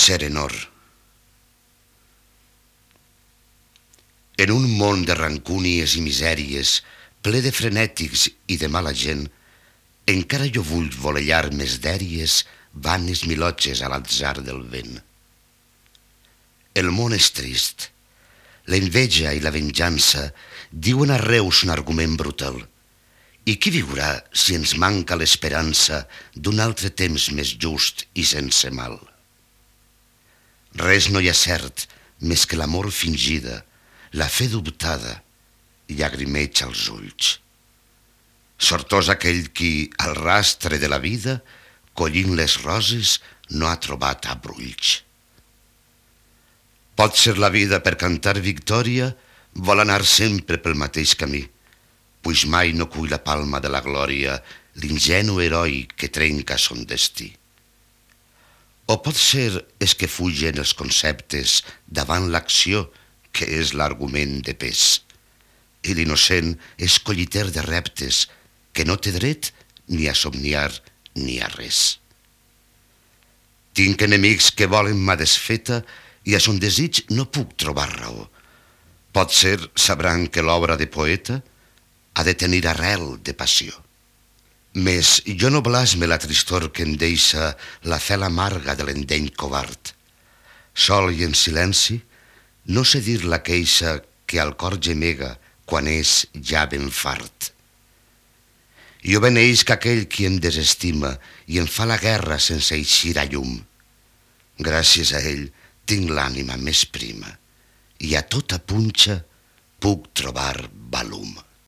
Serenor. En un món de rancúnies i misèries, ple de frenètics i de mala gent, encara jo vull volellar més dèries vanes milotges a l'atzar del vent. El món és trist. L'enveja i la venjança diuen arreu son argument brutal. I qui viurà si ens manca l'esperança d'un altre temps més just i sense mal? Res no hi ha cert més que l'amor fingida, la fe dubtada, llagrimeig als ulls. Sortós aquell qui, al rastre de la vida, collint les roses, no ha trobat abrulls. Pot ser la vida per cantar victòria, vol anar sempre pel mateix camí, puix mai no cull la palma de la glòria l'ingenu heroi que trenca son destí. O pot ser és que fugen els conceptes davant l'acció, que és l'argument de pes, i l'innocent és colliter de reptes que no té dret ni a somniar ni a res. Tinc enemics que volen ma desfeta i a son desig no puc trobar raó. Potser sabran que l'obra de poeta ha de tenir arrel de passió. Mes jo no blasme la tristor que em deixa la fel amarga de l'endeny covard. Sol i en silenci, no sé dir la queixa que al cor gemega quan és ja ben fart. Jo beneix que aquell qui em desestima i em fa la guerra sense eixir a llum. Gràcies a ell tinc l'ànima més prima i a tota punxa puc trobar valum.